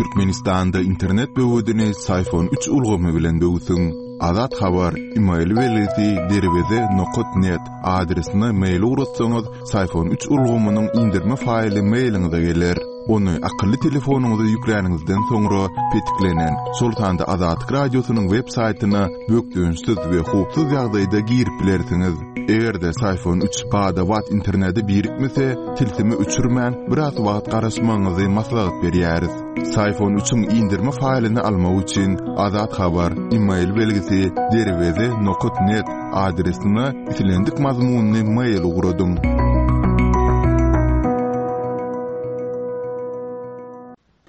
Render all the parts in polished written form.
Türkmenistanda internet böwedini Syfon üç ulgamy bilen böwsüň. Azat Habar, email belgisi derweze nokat net adresine mail ugratsaňyz, Syfon üç ulgamynyň indirme faýly mailiňize geler. Ony akylly telefonyňyza ýükläniňizden soňra petiklenen, şol sanda Azatlyk Radiosynyň web saýtyna bökdençsiz we howpsuz ýagdaýda girip bilersiňiz. Eger-de Syfon üç bada-bat internete birikmese, tilsimi öçürmän, biraz wagt garaşmagyňyzy maslahat berýäris. Syfon üçiň indirme faýlyny almak üçin Azat Habar, email belgisi derweze nokat net adresine islendik mazmunly mail ugradyň.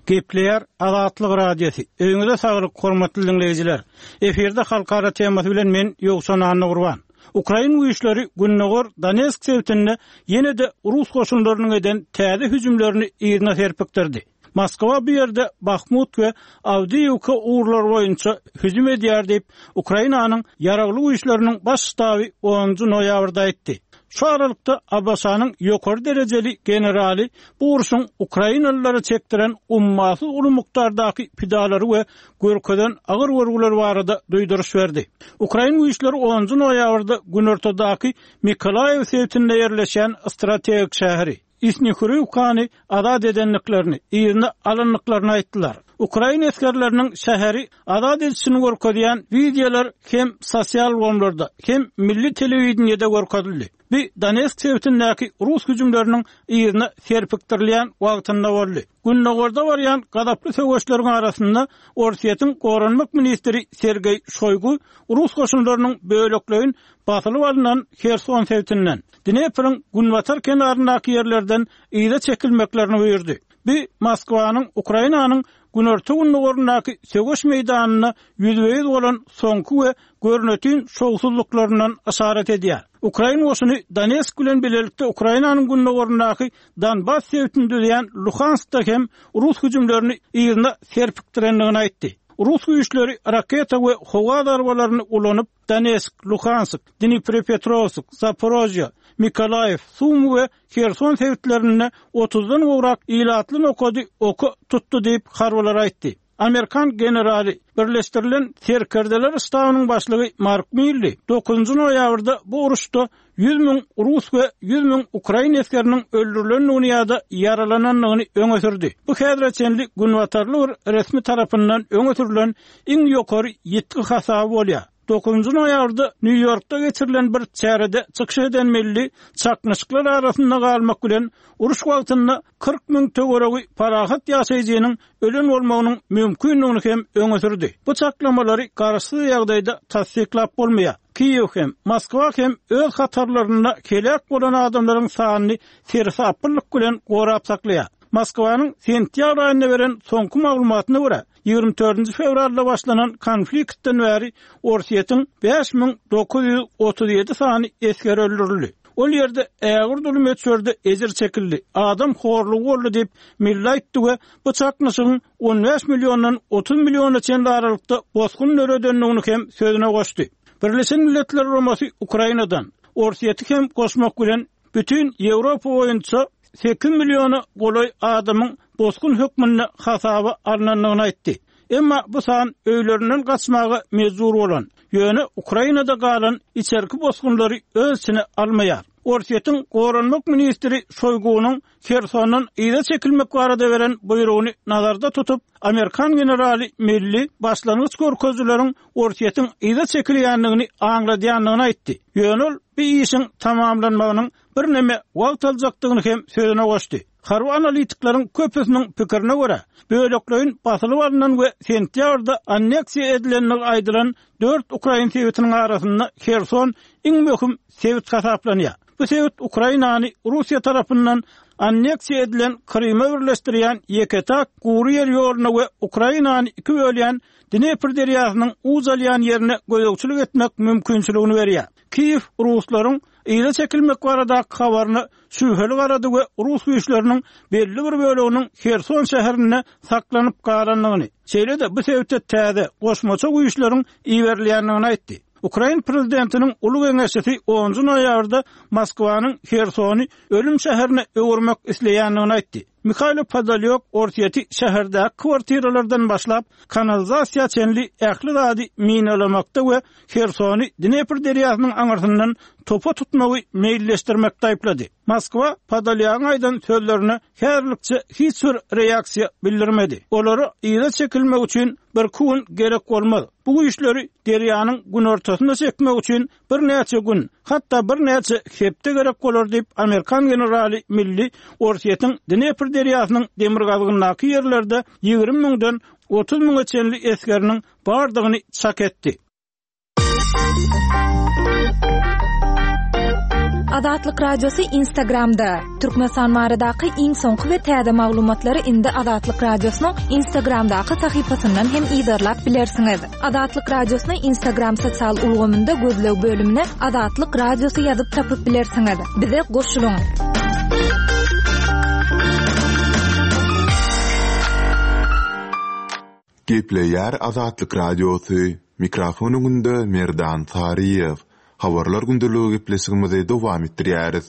Gepleýär Azatlyk Radiosy. Öýüňize saglyk, hormatly diňleýjiler! Efirde halkara temasy bilen men Ýowşan Annagurban. Ukrain güýçleri gündogar Donetsk sebitinde ýene-de rus goşunlarynyň eden täze hüjümlerini yzyna serpikdirdi. Moskwa bu ýerde Bahmut we Awdiýewka ugurlary boýunça hüjüm edýär diýip, Ukrainanyň Ýaragly Güýçleriniň Baş ştaby onunjy noýabrda aýtdy. Şu aralykda, ABŞ-nyň ýokary derejeli generaly bu urşuň ukrainalylara çekdiren ummasyz uly mukdardaky pidalary we görkezen agyr görgüleri barada duýduryş berdi. Ukrain güýçleri onunjy noýabrda günortadaky Mykolaýiw sebitinde ýerleşýän strategik şäheri, Isnihuriwkany azat edendiklerini, yzyna alandyklaryny aýtdylar. Ukrain esgerleriniň şäheri azat edişini görkezýän wideolar hem sosial ulgamlarda, hem milli telewideniýede görkezildi. Bu Donetsk sebitindäki rus hüjümleriniň yzyna serpikdirilýän wagtynda boldy. Gündogarda barýan gazaply söweşleriň arasynda Orsýetiň goranmak ministri Sergeý Şoýgu rus goşunlarynyň bölekleýin basylyp alnan Herson sebitinden, Dnepriň günbatar kenaryndaky ýerlerden yza çekilmeklerini buýurdy. Bu Moskwanyň Ukrainanyň günorta-gündogaryndaky söweş meýdanynda ýüzbe-ýüz bolan soňky we görnetin şowsuzlyklaryndan yşarat edýär. Ukrain goşuny Donetsk bilen bilelikde Ukrainanyň gündogaryndaky Donbas sebitini düzýän Luhanskda hem rus hüjümlerini yzyna serpikdirendigini aýtdy. Rus güýçleri raketa we howa zarbalaryny ulanyp, Donetsk, Luhansk, Dniprepetrowsk, Zaporožýe, Mykolaýiw, Sumy we Herson sebitlerinde otuzdan gowrak ilatly nokady oka tutdy diýip, harbylar aýtdy. Amerikan generaly, Birleşdirilen Serkerdeler ştabynyň başlygy Mark Milli dokuzynjy noýabrda bu uruşda 100 müň rus we 100 müň ukrain esgeriniň öldürilendigini ýa-da ýaralanandygyny öňe sürdi. Bu häzire çenli günbatarly bir resmi tarapyndan öňe sürlen iň ýokary ýitgi hasaby bolýar. Dokuzynjy noýabrda Nýu-Ýorkda geçirilen bir çärede çykyş eden Milli çaknyşyklar arasynda galmak bilen, uruş wagtynda 40 müň töweregi parahat ýaşaýjynyň ölen bolmagynyň mümkindigini hem öňe sürdi. Bu çaklamalary garaşsyz ýagdaýda tassyklap bolmaýar. Kiýew hem, Moskwa hem öz hatarlarynda heläk bolan adamlaryň sanyny seresaplylyk bilen gorap saklaýar. Moskwanyň sentýabr aýynda beren soňky maglumatyna görä, 24 fewralda başlanan konfliktden bäri Orsýetiň 5937 sany esgeri öldürildi. Ol ýerde ägirt uly möçberde ejir çekildi, adam horlugy boldy diýip, Milli aýtdy we bu çaknyşygyň 15 milliondan 30 milliona çenli aralykda bosgun döredendigini hem sözüne goşdy. Birleşen Milletler Guramasy Ukrainadan, Orsýeti hem goşmak bilen, bütin Ýewropa boýunça sekiz milliona golaý adamyň bosgun hökmünde hasaba alnandygyny aýtdy. Emma bu san öýlerinden gaçmaga mejbur bolan, ýöne Ukrainada galan içerki bosgunlary öz içine almaýar. Orsýetiň goranmak ministri Şoýgunyň Hersondan yza çekilmek barada beren buýrugyny nazarda tutup, amerikan generaly Milli başlangyç görkezijileriň Orsýetiň yza çekilýändigini aňladýandygyny aýtdy. Ýöne ol bu işiň tamamlanmagynyň birneme wagt aljakdygyny hem sözüne goşdy. Harby analitikleriň köpüsiniň pikirine görä, bölekleýin basylyp alnan we sentýabrda anneksiýa edilendigi aýdylan dört ukrain sebitiniň arasynda Herson iň möhüm sebit hasaplanýar. Bu sebit Ukrainany Russiýa tarapyndan anneksiýa edilen Kryma birleşdirýän ýeke-täk gury ýer ýoluna we Ukrainany iki bölýän Dnepr derýasynyň uç alýan ýerine gözegçilik etmek mümkinçiligini berýär. Kiýew ruslaryň yza çekilmek baradaky habaryna şübheli garady we rus güýçleriniň belli bir böleginiň Herson şäherinde saklanyp galandygyny, şeýle-de bu sebite täze, goşmaça güýçleriň iberilýändigini aýtdy. Ukrain prezidentiniň uly geňeşçisi onunjy noýabrda Moskwanyň Hersony ölüm şäherine öwürmek isleýändigini aýtdy. Mihailo Podolýak Orsýeti şäherdäki kwartiralardan başlap, kanalizasiýa çenli ähli zady minalamakda we Hersony Dnepr derýasynyň aňyrsyndan topa tutmagy meýilleşdirmekde aýyplady. Moskwa Podolýagyň aýdan sözlerine häzirlikçe hiç bir reaksiýa bildirmedi. Olara yza çekilmek üçin birki gün gerek bolmaz. Bu güýçleri derýanyň günortasyna çekmek üçin birnäçe gün, hatda birnäçe hepde gerek bolar diýip, amerikan generaly Milli Orsýetiň Dnepr derýasynyň demirgazygyndaky ýerlerde 20 müňden 30 müňe çenli esgeriniň bardygyny çak etdi. Azatlyk Radiosy Instagramda, Türkmenistan baradaky iň soňky we täze maglumatlary indi Azatlyk Radiosynyň Instagramdaky sahypasyndan hem yzarlap bilersiňiz. Azatlyk Radiosyny Instagram sosial ulgamynda gözleg bölümine Azatlyk Radiosy ýazyp tapyp bilersiňiz. Bize goşulyň! Gepleýär Azatlyk Radiosy, Mikrofon öňünde Merdan Saryýew. Habarlar gündeligi gepleşigimizi dowam etdirýäris.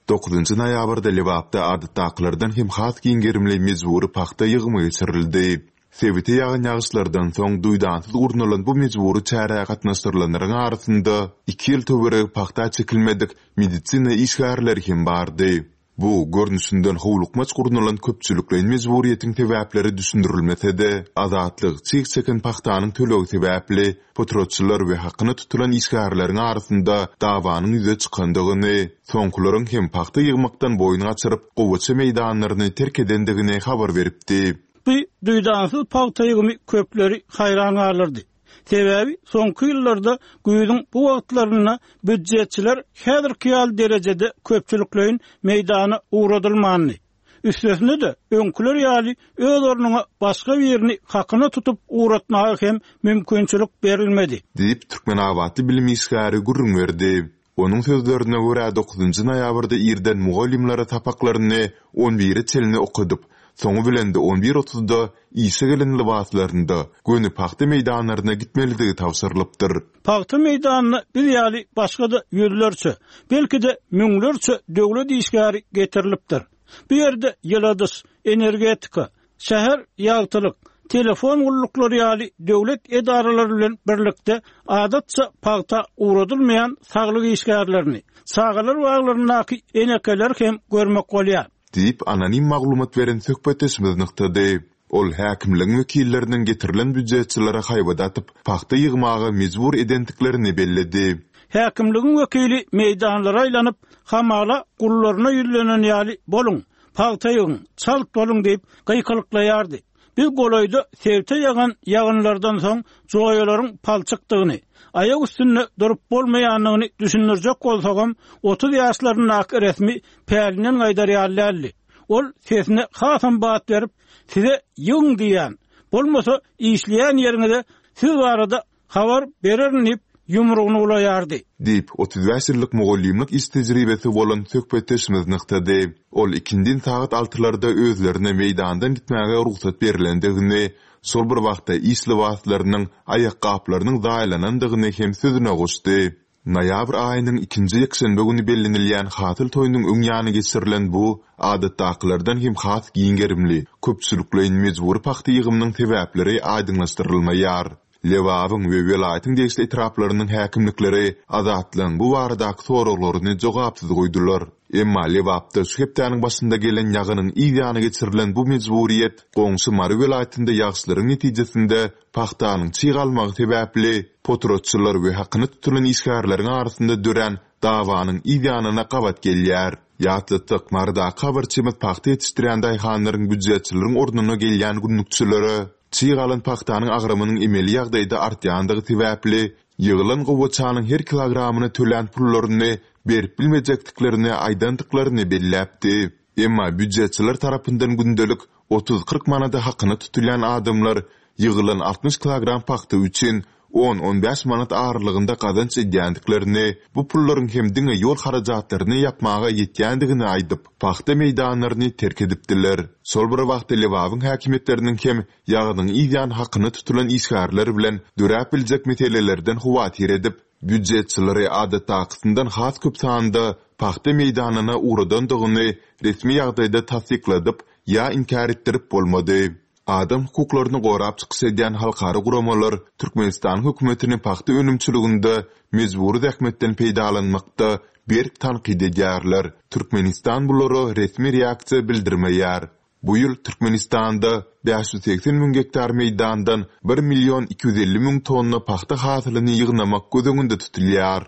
Dokuzynjy noýabrda Lebapda adatdakylardan hem has giň gerimli mejbury pagta ýygymy geçirildi. Sebite ýagan ýagyşlardan soň duýdansyz gurnalan bu mejbury çärä gatnaşdyrylanlaryň arasynda iki ýyl töweregi pagta çekilmedik medisina işgärleri hem bardy. Bu, görnüşinden howlukmaç gurnalan köpçülikleýin mejburyýetiň sebäpleri düşündirilmese-de, Azatlyk çyg çeken pagtanyň tölegi sebäpli potratçylar we hakyna tutulan işgärleriň arasynda dawanyň ýüze çykandygyny, soňkularyň hem pagta ýygmakdan boýun gaçyryp, gowaça meýdanlaryny terk edendigini habar beripdi. Bu duýdansyz pagta ýygymy köpleri haýran galdyrdy. Sebäbi soňky ýyllarda güýzüň bu wagtlarynda býujetçiler häzirki ýaly derejede köpçülikleýin meýdana ugradylmandy. Üstesine-de, öňküler ýaly öz ornuňa başga birini hakyna tutup ugratmaga hem mümkinçilik berilmedi. Diýip, türkmenabatly bilim işgäri gürrüň berdi. Onuň sözlerine görä, dokuzynjy noýabrda irden mugallymlara sapaklaryny on bire çenli okadyp, soňy bilen-de on bir otuzda işe gelen lybaslarynda göni pagta meýdanlaryna gitmelidigi tabşyrylypdyr. Pagta meýdanyna biz ýaly başga-da ýüzlerçe, belki-de müňlerçe döwlet işgäri getirilipdir. Bu ýerde ýyladyş, energetika, şäher ýagtylyk, telefon gulluklary ýaly döwlet edaralary bilen birlikde adatça pagta ugradylmaýan saglyk işgärlerini, çagalar baglaryndaky enekeleri hem görmek bolýar. Diýip, anonim maglumat beren söhbetdeşimiz nygtady. Ol häkimligiň wekilleriniň getirilen býujetçilere haýbat atyp, pagta ýygmaga mejbur edendiklerini belledi. Häkimligiň wekili meýdanlara aýlanyp, hamala gullaryna ýüzlenen ýaly, Boluň, pagta ýygyň, çalt boluň diýip, gykylyklaýardy. Biz golaýda sebite ýagan ýagynlardan soň joýalaryň palçykdygyny, aýak üstünde durup bolmaýandygyny düşündirjek bolsagam, 30 ýaşlaryndaky resmi pälinden gaýdar ýaly däldi. Ol sesine hasam bat berip, Size ýygyň diýýän, bolmasa işleýän ýeriňize siz barada habar bererin diýip, ýumrugyny bulaýardy. Diýip, 35 ýyllyk mugallymlyk iş tejribesi bolan söhbetdeşimiz nygtady. Ol ikindin sagat altylarda özlerine meýdandan gitmäge rugsat berlendigini, şol bir wagtda iş lybaslarynyň, aýakgaplarynyň zaýalanandygyny hem sözüne goşdy. Noýabr aýynyň ikinji ýekşenbe güni bellenilýän Hasyl toýunyň öň ýany geçirilen bu, adatdakylardan hem has giň gerimli, köpçülikleýin mejbury pagta ýygymynyň sebäpleri aýdyňlaşdyrylmaýar. Lebabyň we welaýatyň degişli etraplarynyň häkimlikleri Azatlygyň bu baradaky soraglaryny jogapsyz goýdular. Emma Lebapda şu hepdäniň başynda gelen ýagynyň yz ýany geçirilen bu mejburyýet goňşy Mary welaýatynda ýagyşlaryň netijesinde Pagtanyň çyg almagy sebäpli, potratçylar we hakyna tutulan işgärleriň arasynda dörän dawanyň yz ýanyna gabat gelýär. Ýatlatsak, Marydaky habarçymyz pagta ýetişdirýän daýhanlaryň býujetçileriň ornuna gelýän günlükçilere çyg alan pagtanyň agramynyň emeli ýagdaýda artýandygy sebäpli, ýygylan gowaçanyň her kilogramyna tölän pullaryny berip bilmejekdiklerini aýdandyklaryny belläpdi. Emma býujetçiler tarapyndan gündelik Otuz-kyrk manada hakyna tutulýan adamlar ýygylan 60 kilogram pagta üçin on-on bäş manat aralygynda gazanç edýändiklerini, bu pullaryň hem diňe ýol harajatlaryny ýapmaga ýetýändigini aýdyp, pagta meýdanlaryny terk edipdiler. Şol bir wagtda Lebabyň häkimiýetleriniň hem ýagynyň yzýany hakyna tutulan işgärler bilen döräp biljek meselelerden howatyr edip, býujetçileri adatdakysyndan has köp sanda pagta meýdanyna ugradandygyny resmi ýagdaýda tassykladyp, ýa inkär etdirip bolmady. Adam hukuklaryny gorap çykyş edýän halkara guramalar Türkmenistanyň hökümetini pagta önümçiliginde mejbury zähmetden peýdalanmakda berk tankyt edýärler. Türkmenistan bulara resmi reaksiýa bildirmeýär. Bu ýyl Türkmenistanda 580 müň gektar meýdandan bir million 250 müň tonna pagta hasylyny ýygnamak göz öňünde tutulýar.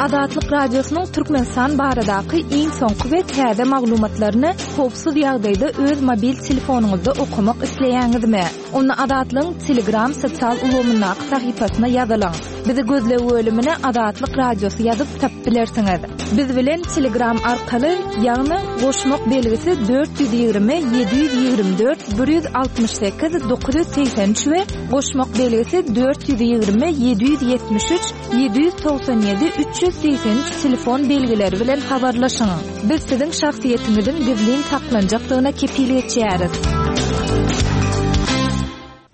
Azatlyk Radiosynyň Türkmenistan baradaky iň soňky we täze maglumatlaryny howpsuz ýagdaýda öz mobil telefonyňyzda okamak isleýäňizmi? Onda Azatlygyň Telegram sosial ulgamyndaky sahypasyna ýazylyň. Bizi gözleg bölümine Azatlyk Radiosy ýazyp tapyp bilersiňiz. Biz bilen Telegram arkaly, ýagny goşmak belgisi 420 724 168 983 we goşmak belgisi 420 773 797 383 telefon belgileri bilen habarlaşyň. Biz siziň şahsyýetiňiziň gizlin saklanjakdygyna kepil geçýäris.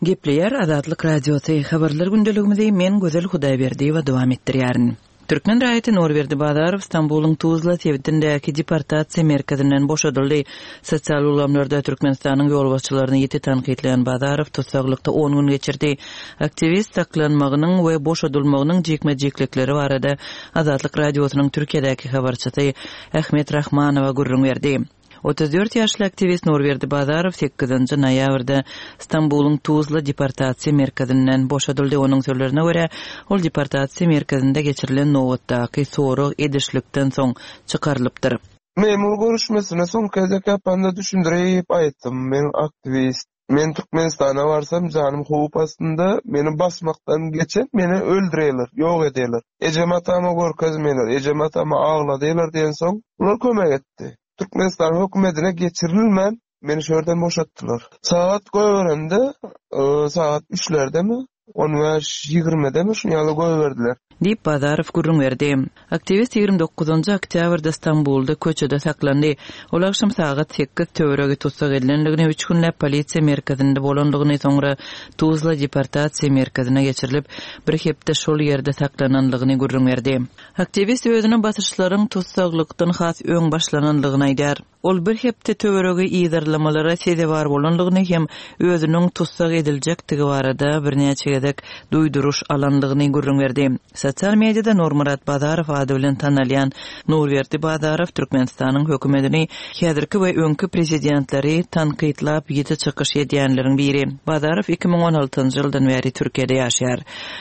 Gepleýär Azatlyk Radiosy, Habarlar gündeligimizi men Gözel Hudaýberdiýewa dowam etdirýärin. Türkmen raýaty Nurberdi Bazarow Stambulyň Tuzla sebitindäki deportasiýa merkezinden boşadyldy. Sosial ulgamlarda Türkmenistanyň ýolbaşçylaryny ýiti tankytlaýan Bazarow tussaglykda on gün geçirdi. Aktiwist saklanmagynyň we boşadylmagynyň jikme-jiklikleri barada Azatlyk Radiosynyň Türkiýedäki habarçysy Ahmet Rahmanowa gürrüň berdi. 34 ýaşly aktiwist Nurberdi Bazarow sekizinji noýabrda Stambulyň Tuzla deportasiýa merkezinden boşadyldy. Onuň sözlerine görä, ol deportasiýa merkezinde geçirilen nobatdaky sorag edişlikden soň çykarylypdyr. Memur görüşmesine soňky gezek ýapanda düşündirip aýtdym, men aktiwist, men Türkmenistana barsam janym howp astynda, meni basmakdan geçen meni öldürerler, ýok ederler. Ejem-atama görkezmeýärler, ejem-atama agladýarlar diýensoň, bular kömek etdi. Türkmenistan hökümetine geçirilmän meni şu ýerden boşatdylar. Sagat goýberende, sagat üçlerdemi, on bäş ýigrimidemi şuny ýaly goýberdiler. Diýip, Bazarow gürrüň berdi. Aktiwist 29 oktýabrda Stambulda köçede saklandy. Ol agşam sagat sekiz töweregi tussag edilendigini, üç günläp polisiýa merkezinde bolandygyny, soňra Tuzla deportasiýa merkezine geçirilip, bir hepde şol ýerde saklanandygyny gürrüň berdi. Aktiwist özüne basyşlaryň tussaglykdan has öň başlanandygyny aýdýar. Ol bir hepde töweregi yzarlamalara sezewar bolandygyny hem özüniň tussag ediljekdigi barada birnäçe gezek duýduryş alandygyny gürrüň berdi. Sosial mediada Nurmyrat Bazarow ady bilen tanalýan Nurberdi Bazarow Türkmenistanyň hökümetini, häzirki we öňki prezidentleri tankytlap ýiti çykyş edýänleriň biri. Bazarow 2016-njy ýyldan bäri Türkiýede ýaşaýar.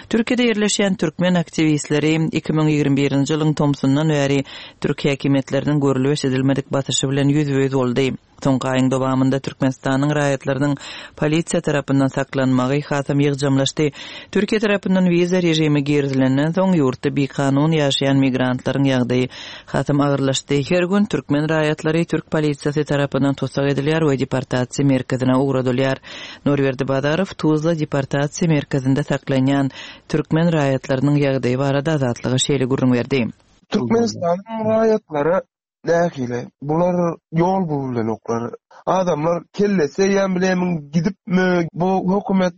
Türkiýede ýerleşýän türkmen aktiwistleri 2021-nji ýylyň tomsundan bäri Türk häkimiýetleriniň görlüp-eşidilmedik basyşy bilen ýüzbe-ýüz boldy. Soňky aýyň dowamynda Türkmenistanyň raýatlarynyň polisiýa tarapyndan saklanmagy hasam ýygjamlaşdy. Türkiýe tarapyndan wiza režimi girizilenden soň, ýurtda bikanun ýaşaýan migrantlaryň ýagdaýy hasam agyrlaşdy. Her gün türkmen raýatlary türk polisiýasy tarapyndan tussag edilýär we deportasiýa merkezine ugradylýar. Nurberdi Bazarow Tuzla deportasiýa merkezinde saklanýan türkmen raýatlarynyň ýagdaýy barada Azatlyga şeýle gürrüň berdi. Türkmenistanyň raýatlary nähili? Bular ýol bulubilenoklar. Adamlar kellesi eýýäm bilemin gidipmi? Bu hökümet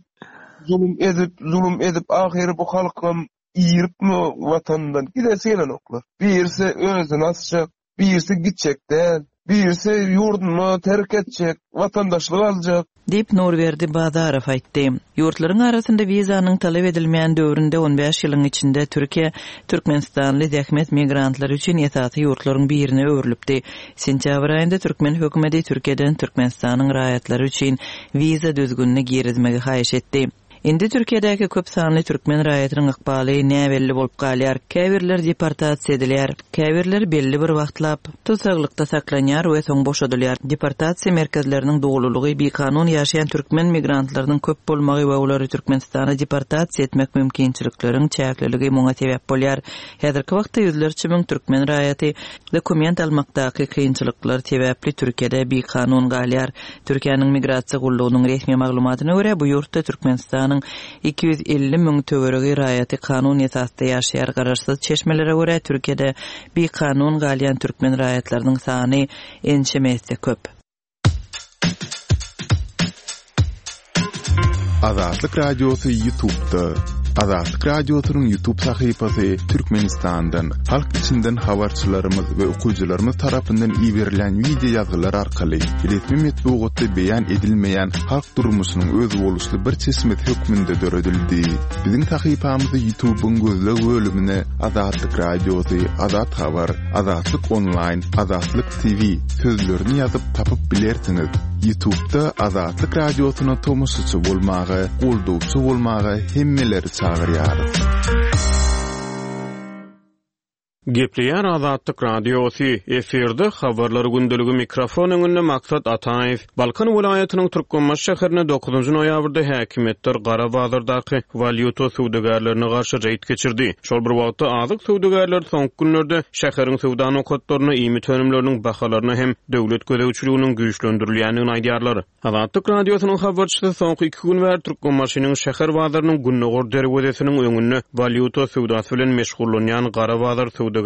zulum edip, zulum edip ahyry bu halkam iripmi watanyndan gidesi gelenoklar. Birisi özüni asjak, Birisi gitjek däl, birisi ýurduny terk etjek, watandaşlyk aljak. Diýip, Nurberdi Bazarow aýtdy. Ýurtlaryň arasynda wizanyň talap edilmeýän döwründe on bäş ýylyň içinde Türkiýe türkmenistanly zähmet migrantlary üçin esasy ýurtlaryň birine öwrülipdi. Sentýabr aýynda türkmen hökümeti Türkiýeden Türkmenistanyň raýatlary üçin wiza düzgünini girizmegi haýyş etdi. Indi Türkiýedäki köp sanly türkmen raýatynyň ykbaly näbelli bolup galýar. Käbirleri deportasiýa edilýär. Käbirleri belli bir wagtlap tussaglykda saklanýar we soň boşadylýar. Deportasiýa merkezleriniň dolulygy, bikanun ýaşaýan türkmen migrantlarynyň köp bolmagy we olary Türkmenistana deportasiýa etmek mümkinçilikleriň çäkliligi muňa sebäp bolýar. Häzirki wagtda ýüzlerçe müň türkmen raýaty dokument almakdaky kynçylyklar sebäpli Türkiýede bikanun galýar. Türkiýäniň Migrasiýa gullugynyň resmi maglumatyna görä, bu ýurtda Türkmenistanyň 250 müň töweregi raýaty kanun esasda ýaşaýar. Garaşsyz çeşmelere görä, Türkiýede bikanun galýan türkmen raýatlarynyň sany ençeme esse köp. Azatlyk Radiosy YouTube'da. Azatlyk Radiosynyň YouTube sahypasy Türkmenistandan, halk içinden habarçylarymyz we okyjylarymyz tarapyndan iberilýän wideo ýazgylar arkaly resmi metbugatda beýan edilmeýän halk durmuşynyň özboluşly bir çeşmesi hökmünde döredildi. Biziň sahypamyzy YouTube-yň gözleg bölümine Azatlyk Radiosy, Azat Habar, Azatlyk Onlaýn, Azatlyk TV sözlerini ýazyp tapyp bilersiňiz. Ýutubda Azatlyk Radiosyna tomaşaçy bolmaga, goldawçy bolmaga hemmeleri çagyrýarys. Gepleýär Azatlyk Radiosy, efirde Habarlar gündeligi mikrofon öňünde Maksat Ataýew. Balkan welaýatynyň Türkmenbaşy şäherinde dokuzynjy noýabrda häkimiýetler gara bazardaky walýuta söwdagärlerine garşy reýd geçirdi. Şol bir wagtda, azyk söwdagärleri soňky günlerde şäheriň söwda nokatlarynda iýmit önümleriniň bahalaryna hem döwlet gözegçiliginiň güýçlendirilýändigini aýdýarlar. Azatlyk Radiosynyň habarçysy soňky iki gün bäri Türkmenbaşynyň şäher bazarynyň gündogar derwezesiniň öňünde walýuta söwdasy bilen meşgullanýan gara bazar söwdagärleriniň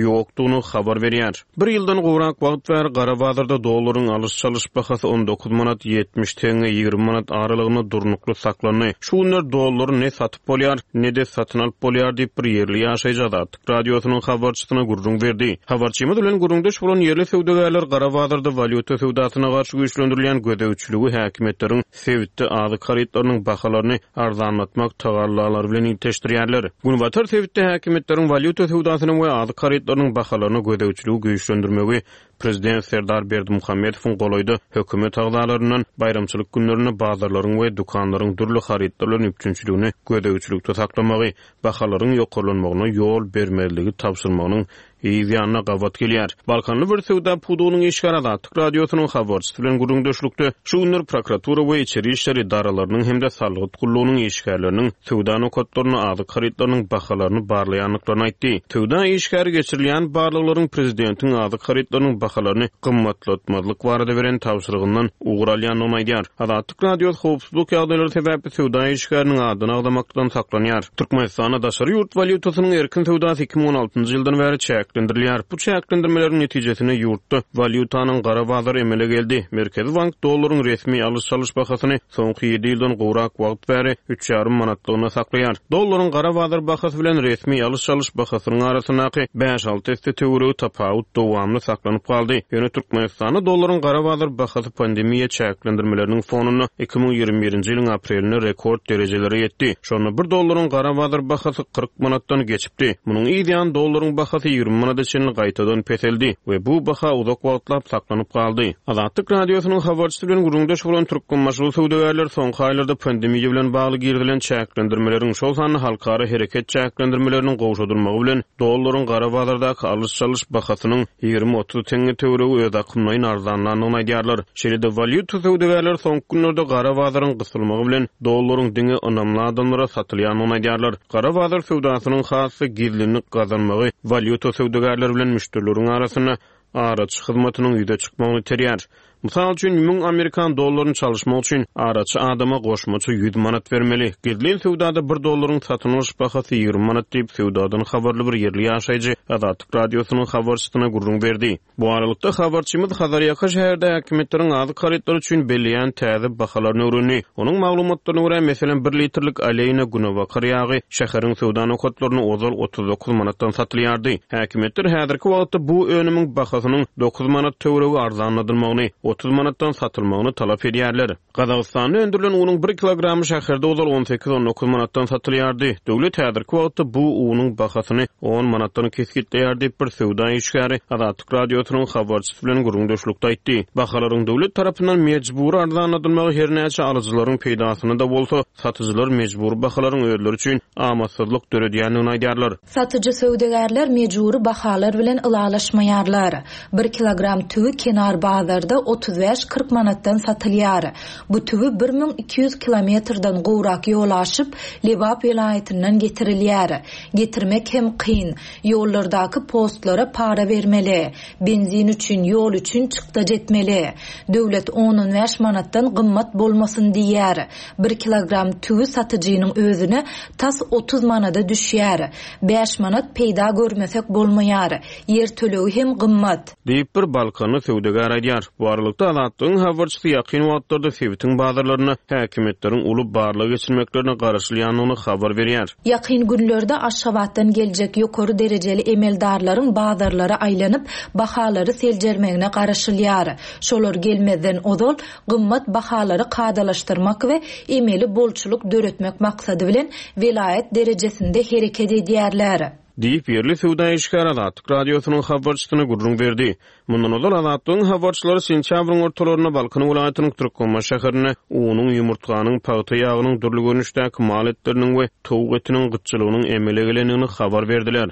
ýokdugyny habar berýär. Bir ýyldan gowrak wagt bäri gara bazarda dollaryň alyş-çalyş bahasy 19 manat 70 teňňe 20 manat aralygynda durnukly saklandy. Şu günler dollary ne satyp bolýar, ne-de satyn alyp bolýar diýip, bir ýerli ýaşaýjy Azatlyk Radiosynyň habarçysyna gürrüň berdi. Habarçymyz bilen gürrüňdeş bolan ýerli söwdagärler gara bazarda walýuta söwdasyna garşy güýçlendirilýän gözegçiligi häkimiýetleriň sebitde azyk harytlarynyň bahalaryny arzanlatmak tagallalary bilen ilteşdirýärler. Günbatar sebitde häkimiýetleriň walýuta söwdasyna we azyk harytlarynyň bahalaryna gözegçiligi güýçlendirmegi Prezident Serdar Berdimuhamedowyň golaýda hökümet agzalaryndan baýramçylyk günlerinde bazarlaryň we dükanlaryň dürli harytlar bilen üpjünçiligini gözegçilikde saklamagy, bahalaryň ýokarlanmagyna ýol bermezligi tabşyrmagynyň yz ýanyna gabat gelýär. Balkanly bir söwda pudagynyň işgäri Azatlyk Radiosynyň habarçysy bilen gürrüňdeşlikde şu günler prokuratura we içeri işler edaralarynyň hem-de salgyt gullugynyň işgärleriniň söwda nokatlarynda azyk harytlarynyň bahalaryny barlaýandyklaryny aýtdy. Söwda işgäri geçirilýän barlaglaryň prezidentiň azyk harytlarynyň bahalaryny gymmatlatmazlyk barada beren tabşyrygyndan ugur alýandygyny aýdýar. Azatlyk Radiosy howpsuzlyk ýagdaýlary sebäpli söwda işgäriniň adyny agzamakdan saklanýar. Türkmenistanda daşary ýurt walýutasynyň erkin söwdasy 2016-njy ýyldan bäri çäklendirilýär. Bu çäklendirmeleriň netijesinde ýurtda walýutanyň gara bazary emele geldi. Merkezi bank dollaryň resmi alyş-çalyş bahasyny soňky ýedi ýyldan gowrak wagt bäri üç ýarym manatlygyna saklaýar. Dollaryň gara bazar bahasy bilen resmi alyş-çalyş bahasynyň arasyndaky bäş-alty esse töweregi tapawut dowamly saklanyp galdy. Ýöne Türkmenistanda dollaryň gara bazar bahasy pandemiýa çäklendirmeleriniň fonunda 2021-nji ýylyň aprelinde rekord derejelere ýetdi. Şonda bir dollaryň gara bazar bahasy 40 manatdan geçipdi. Munuň yz ýany dollaryň bahasy 20 manada çenli gaýtadan peseldi we bu baha uzak wagtlap saklanyp galdy. Azatlyk Radiosynyň habarçysy bilen gürrüňdeş bolan türkmenbaşyly söwdagärler soňky aýlarda pandemiýa bilen bagly girizilen çäklendirmeleriň, şol sanda halkara hereket çäklendirmeleriniň gowşadylmagy bilen dollaryň gara bazardaky alyş-çalyş bahasynyň 20-30 teňňe töweregi özakymlaýyn arzanlandygyny aýdýarlar. Şeýle-de, walýuta söwdagärleri soňky günlerde gara bazaryň gysylmagy bilen dollaryň diňe ynamly adamlara satylýandygyny aýdýarlar. Gara bazar söwdasynyň has-da gizlinlik gazanmagy walýuta söwdagärleri bilen müşderileriň arasynda araçy hyzmatynyň ýüze çykmagyny iterýär. Mysal üçin, müň amerikan dollaryny çalyşmak üçin araçy adama goşmaça ýüz manat bermeli. Gizlin söwdada bir dollaryň satyn alyş bahasy 20 manat diýip, söwdadan habarly bir ýerli ýaşaýjy Azatlyk Radiosynyň habarçysyna gürrüň berdi. Bu aralykda, habarçymyz Hazarýaka şäherde häkimiýetleriň azyk harytlary üçin belleýän täze bahalaryny öwrendi. Onuň maglumatlaryna görä, meselem, bir litrlik Aleýna günebakar ýagy şäheriň söwda nokatlarynda ozal 39 manatdan satylýardy. Häkimiýetler häzirki wagtda bu önümiň bahasynyň dokuz manat töweregi arzanladylmagyny, 30 manatdan satylmagyny talap edýärler. Gazagystanda öndürilen unuň bir kilogramy şäherde ozal on sekiz-on dokuz manatdan satylýardy. Döwlet häzirki wagtda bu unuň bahasyny on manatdan kesgitleýär diýip, bir söwda işgäri Azatlyk Radiosynyň habarçysy bilen gürrüňdeşlikde aýtdy. Bahalaryň döwlet tarapyndan mejbury arzanladylmagy her näçe alyjylaryň peýdasyna-da bolsa, satyjylar mejbury bahalaryň özleri üçin amatsyzlyk döredýändigini aýdýarlar. Satyjy söwdagärler mejbury bahalar bilen ylalaşmaýarlar. Bir kilogram tüwi kenar bazarda 35-40 manatdan satylýar. Bu tüwi 1200 kilometrden gowrak ýol aşyp, Lebap welaýatyndan getirilýär. Getirmek hem kyn. Ýollardaky postlara para bermeli. Benzin üçin, ýol üçin çykdajy etmeli. Döwlet on-on bäş manatdan gymmat bolmasyn diýýär. Bir kilogram tüwi satyjynyň özüne tas 30 manada düşýär. Bäş manat peýda görmesek bolmaýar. Ýer tölegi hem gymmat. Diýip, bir balkanly söwdagär aýdýar. Bu aralykda. aralykda, Azatlygyň habarçysy ýakyn wagtlarda sebitiň bazarlarynda häkimiýetleriň uly barlag geçirmeklerine garaşylýandygyny habar berýär. Ýakyn günlerde Aşgabatdan geljek ýokary derejeli emeldarlaryň bazarlara aýlanyp, bahalary seljermegine garaşylýar. Şolar gelmezden ozal, gymmat bahalary kadalaşdyrmak we emeli bolçulyk döretmek maksady bilen welaýat derejesinde hereket edýärler. Diýip, ýerli söwda işgäri Azatlyk Radiosynyň habarçysyna gürrüň berdi. Mundan ozal, Azatlygyň habarçylary sentýabryň ortalarynda Balkan welaýatynyň Türkmenbaşy şäherinde unuň, ýumurtganyň, pagta ýagynyň, dürli görnüşdäki mal etleriniň we towuk etiniň gytçylygynyň emele gelendigini habar berdiler.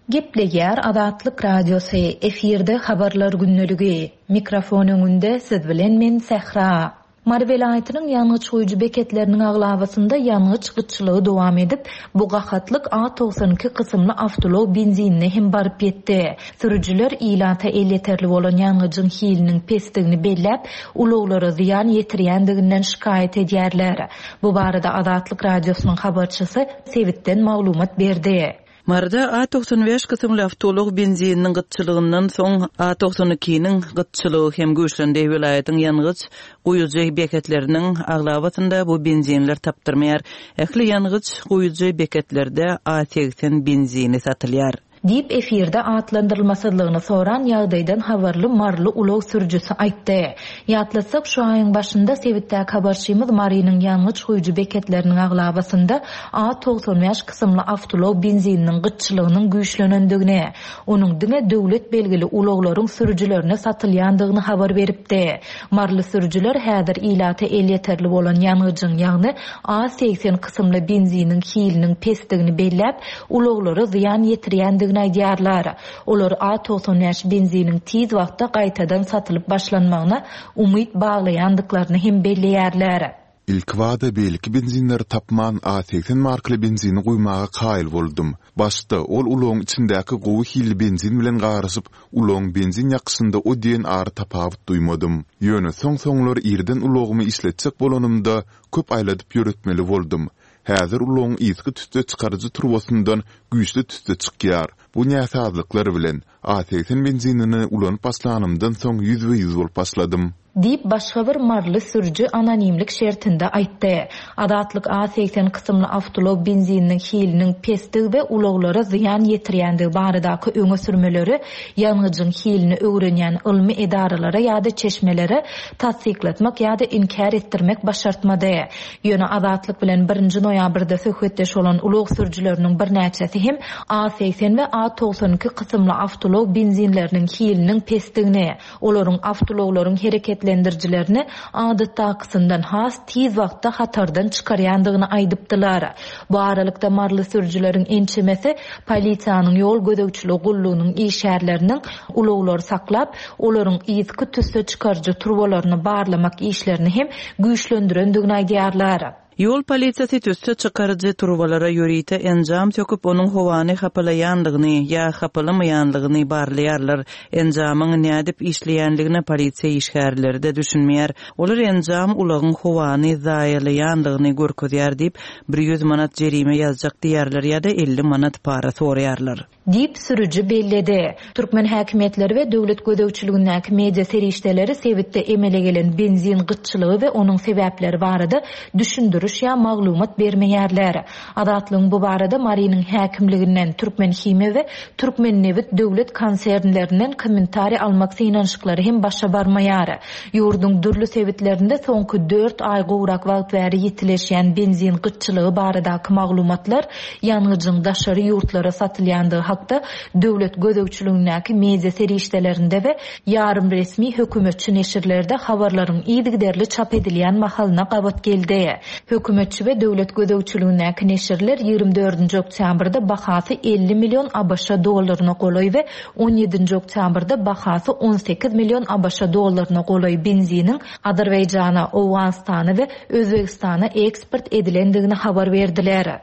Gepleýär Azatlyk Radiosy, efirde Habarlar gündeligi. Mikrofon öňünde siz bilen men Sähra. Mary welaýatynyň ýangyç guýujy beketleriniň aglabasynda ýangyç gytçylygy dowam edip, bu gahatlyk A 92 kysymly awtoulag benzinine hem baryp ýetdi. Sürüjiler ilata elýeterli bolan ýangyjyň hiliniň pesdigini belläp, ulaglara zyýan ýetirýändiginden şikaýat edýärler. Bu barada Azatlyk Radiosynyň habarçysy sebitden maglumat berdi. Maryda A 95 kysymly awtoulag benzininiň gytçylygyndan soň, A 92-niň gytçylygy hem güýçlendi. Welaýatyň ýangyç guýujy beketleriniň aglabasynda bu benzinler tapdyrmaýar. Ähli ýangyç guýujy beketlerde A 80 benzini satylýar. Diýip, efirde atlandyrylmasyzlygyny soran ýagdaýdan habarly maryly ulag sürüjisi aýtdy. Ýatlatsak, şu aýyň başynda sebitdäki habarçymyz Marynyň ýangyç guýujy beketleriniň aglabasynda A 95 kysymly awtoulag benzininiň gytçylygynyň güýçlenendigini, onuň diňe döwlet belgili ulaglaryň sürüjilerine satylýandygyny habar beripdi. Maryly sürüjiler häzir ilata elýeterli bolan ýangyjyň, ýagny A 80 kysymly benziniň hiliniň pesdigini belläp, ulaglara zyýan ýetirýändigini aýdýarlar. Olar A 95 benziniň tiz wagtda gaýtadan satylyp başlanmagyna umyt baglaýandyklaryny hem belleýärler. Ilkibada beýleki benzinleri tapman A 80 markaly benzini guýmaga kaýyl boldum. Başda ol ulagyň içindäki gowy hilli benzin bilen garyşyp, ulagyň benzin ýakyşynda o diýen ary tapawut duýmadym. Ýöne soň-soňlar irden ulagymy işletjek bolanymda köp aýladyp ýöretmeli boldum. Häzir ulagyň yzky tüsse çykaryjy turbasyndan güýçli tüsse çykýar. Bu näsazlyklar bilen, A 80 benzinini ulanyp başlanymdan soň ýüzbe-ýüz bolup başladym. Diýip, başga bir maryly sürüji anonimlik şertinde aýtdy. Azatlyk A 80 kysymly awtoulag benzininiň hiliniň pesdigi we ulaglara zyýan ýetirýändigi baradaky öňe sürmeleri ýangyjyň hilini öwrenýän ylmy edaralara ýa-da çeşmelere tassyklatmak ýa-da inkär etdirmek başartmady. Ýöne Azatlyk bilen birinji noýabrda söhbetdeş bolan ulag sürüjileriniň birnäçesi hem A 80 we A 92 kysymly awtoulag benzinleriniň hiliniň pesdigini, olaryň awtoulaglaryň hereketlendirijilerini adatdakysyndan has tiz wagtda hatardan çykarýandygyny aýdypdylar. Bu aralykda, maryly sürüjileriň ençemesi polisiýanyň ýol gözegçiligi gullugynyň işgärleriniň ulaglary saklap, olaryň yzky tüsse çykaryjy turbalaryny barlamak işlerini hem güýçlendirendigini aýdýarlar. Ýol polisiýasy tüsse çykaryjy turbalara ýörite enjam söküp, onuň howany hapalaýanlygyny ýa hapalamaýanlygyny barlaýarlar. Enjamyň nädip işleýänligine polisiýa işgärleri-de düşünmeýär. Olar enjam ulagyň howany zaýalaýanlygyny görkezýär diýip, 100 manat jerime ýazjak diýýärler ýa-da 50 manat para soraýarlar. Diýip, sürüji belledi. Türkmen häkimiýetleri we döwlet gözegçiligindäki media serişdeleri sebitde emele gelen benzin gytçylygy we onuň sebäpleri barada düşündiriş ýa maglumat bermeýärler. Azatlygyň bu barada Marynyň häkimliginden, Türkmenhimiýa we Türkmennebit döwlet konsernlerinden kommentariý almak synanyşyklary hem başa barmaýar. Ýurduň dürli sebitlerinde soňky dört aý gowrak wagt bäri ýitileşýän benzin gytçylygy baradaky maglumatlar ýangyjyň daşary ýurtlara satylýandygy hakda döwlet gözegçiligindäki media serişdelerinde we ýarym resmi hökümetçi neşirlerde habarlaryň yzygiderli çap edilýän mahalyna gabat geldi. Hökümetçi we döwlet gözegçiligindäki neşirler 24-nji oktýabrda bahasy 50 million ABŞ dollaryna golaý we 17-nji oktýabrda bahasy 18 million ABŞ dollaryna golaý benziniň Azerbaýjana, Owganystana we Özbegistana eksport edilendigini habar berdiler.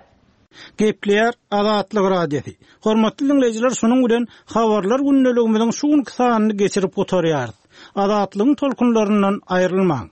Gepleýär Azatlyk Radiosy. Hormatly diňleýjiler şunuň bilen Habarlar gündeligimiziň şu günki sanyny geçirip gutarýarys. Azatlygyň tolkunlaryndan aýrylmaň.